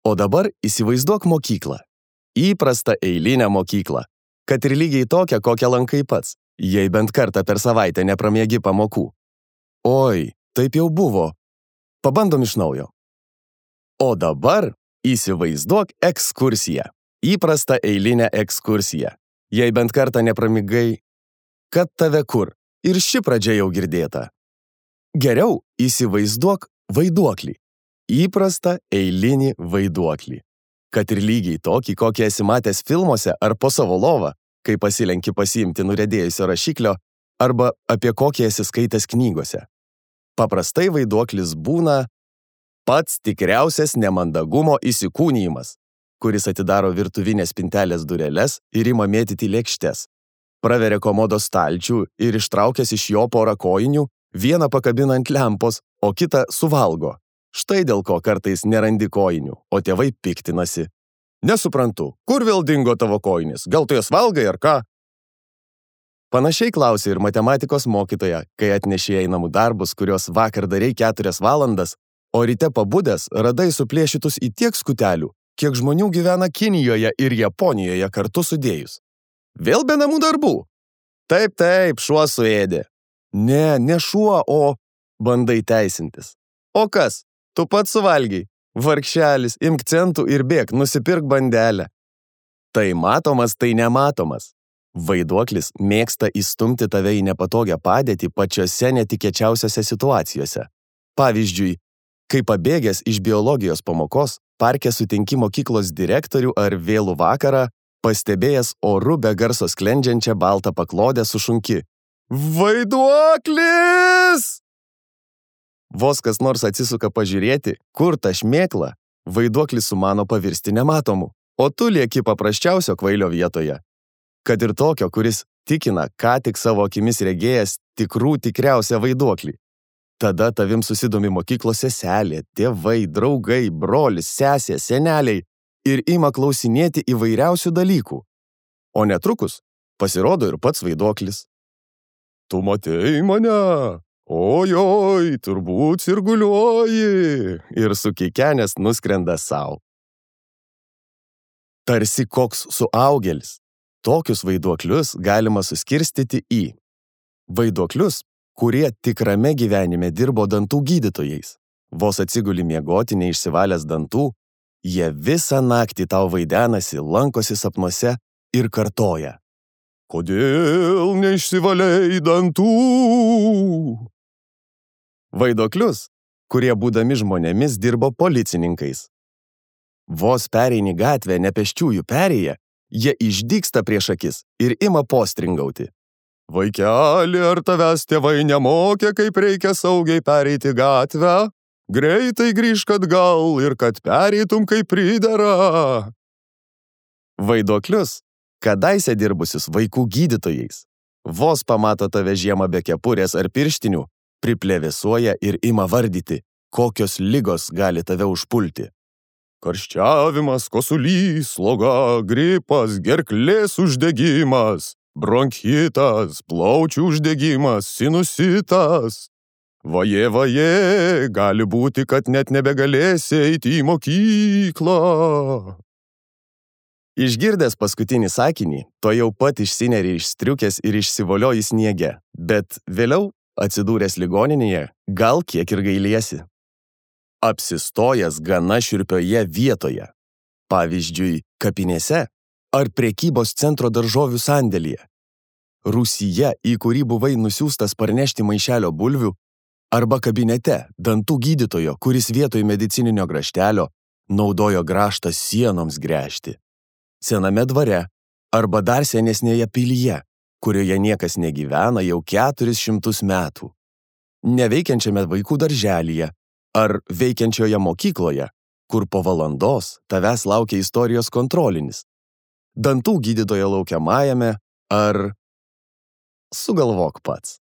O dabar įsivaizduok mokyklą. Įprastą eilinę mokyklą. Kad ir lygiai tokią, kokią lankai pats, jei bent kartą per savaitę nepramiegi pamokų. Oi, taip jau buvo. Pabandom iš naujo. O dabar įsivaizduok ekskursiją. Įprastą eilinę ekskursiją. Jei bent kartą nepramigai, kad tave kur. Ir ši pradžia jau girdėta. Geriau įsivaizduok vaiduoklį. Įprastą eilinį vaiduoklį. Kad ir lygiai tokį, kokį esi matęs filmuose ar po savo lovą, kai pasilenki pasiimti nuriedėjusio rašiklio, arba apie kokį esi skaitęs knygose. Paprastai vaiduoklis būna pats tikriausias nemandagumo įsikūnijimas, kuris atidaro virtuvinės spintelės dureles ir ima mėtyti lėkštes. Praveria komodos stalčių ir ištraukęs iš jo porą kojinių, vieną pakabina ant lempos, o kitą suvalgo. Štai dėl ko kartais nerandi kojinių, o tėvai piktinasi. Nesuprantu, kur vėl dingo tavo kojinis? Gal tu jas valgai ar ką? Panašiai klausė ir matematikos mokytoja, kai atnešė į namų darbus, kurios vakar darei 4 valandas, o ryte pabudęs radai suplėšytus į tiek skutelių, kiek žmonių gyvena Kinijoje ir Japonijoje kartu sudėjus. Vėl be namų darbų? Taip, šuo suėdė. Ne šuo, o bandai teisintis. O kas? Tu pats suvalgiai. Vargšelis, imk centų ir bėk, nusipirk bandelę. Tai matomas, tai nematomas. Vaiduoklis mėgsta įstumti tave į nepatogią padėtį pačiose netikėčiausiose situacijose. Pavyzdžiui, kai pabėgęs iš biologijos pamokos, parke sutinki mokyklos direktorių ar vėlų vakarą, pastebėjęs oru be garso sklendžiančią baltą paklodę sušunki. Vaiduoklis! Vos kas nors atsisuka pažiūrėti, kur ta šmėkla, vaiduoklis sumano pavirsti nematomu, o tu lieki paprasčiausio kvailio vietoje. Kad ir tokio, kuris tikina, ką tik savo akimis regėjęs tikriausią vaiduoklį. Tada tavim susidomi mokyklos seselė, tėvai, draugai, brolis, sesė, seneliai ir ima klausinėti įvairiausių dalykų. O netrukus pasirodo ir pats vaiduoklis. Tu matei mane? Ojoj, turbūt sirguliuoji. Ir sukikenęs nuskrenda sau. Tarsi koks suaugėlis. Tokius vaiduoklius galima suskirstyti į vaiduoklius, kurie tikrame gyvenime dirbo dantų gydytojais. Vos atsiguli miegoti neišsivalęs dantų, jie visą naktį tau vaidenasi, lankosi sapnuose ir kartoja. Kodėl neišsivalei dantų? Vaiduoklius, kurie būdami žmonėmis dirbo policininkais. Vos pereini gatvę nepėsčiųjų perėję, jie išdygsta prieš akis ir ima postringauti. Vaikeli, ar tavęs tėvai nemokė, kaip reikia saugiai pereiti gatvę? Greitai grįžk atgal ir kad pereitum kaip pridera. Vaiduoklius, kadaise dirbusius vaikų gydytojais. Vos pamato tave žiemą be kepurės ar pirštinių, priplevėsuoja ir ima vardyti, kokios ligos gali tave užpulti. Karščiavimas, kosulys, sloga, gripas, gerklės uždegimas, bronchitas, plaučių uždegimas, sinusitas. Vaje, gali būti, kad net nebegalėsi eiti į mokyklą. Išgirdęs paskutinį sakinį, to jau pat išsineri iš striukės ir išsivolioji sniege, bet vėliau, atsidūręs ligoninėje, gal kiek ir gailiesi. Apsistojęs gana šiurpioje vietoje, pavyzdžiui, kapinėse ar prekybos centro daržovių sandėlyje, rūsyje, į kurį buvai nusiųstas parnešti maišelio bulvių, arba kabinete dantų gydytojo, kuris vietoj medicininio graštelio naudojo graštą sienoms gręžti. Sename dvare arba dar senesnėje pilyje, kurioje niekas negyvena jau 400 metų. Neveikiančiame vaikų darželyje ar veikiančioje mokykloje, kur po valandos tavęs laukia istorijos kontrolinis. Dantų gydytojo laukiamajame ar sugalvok pats.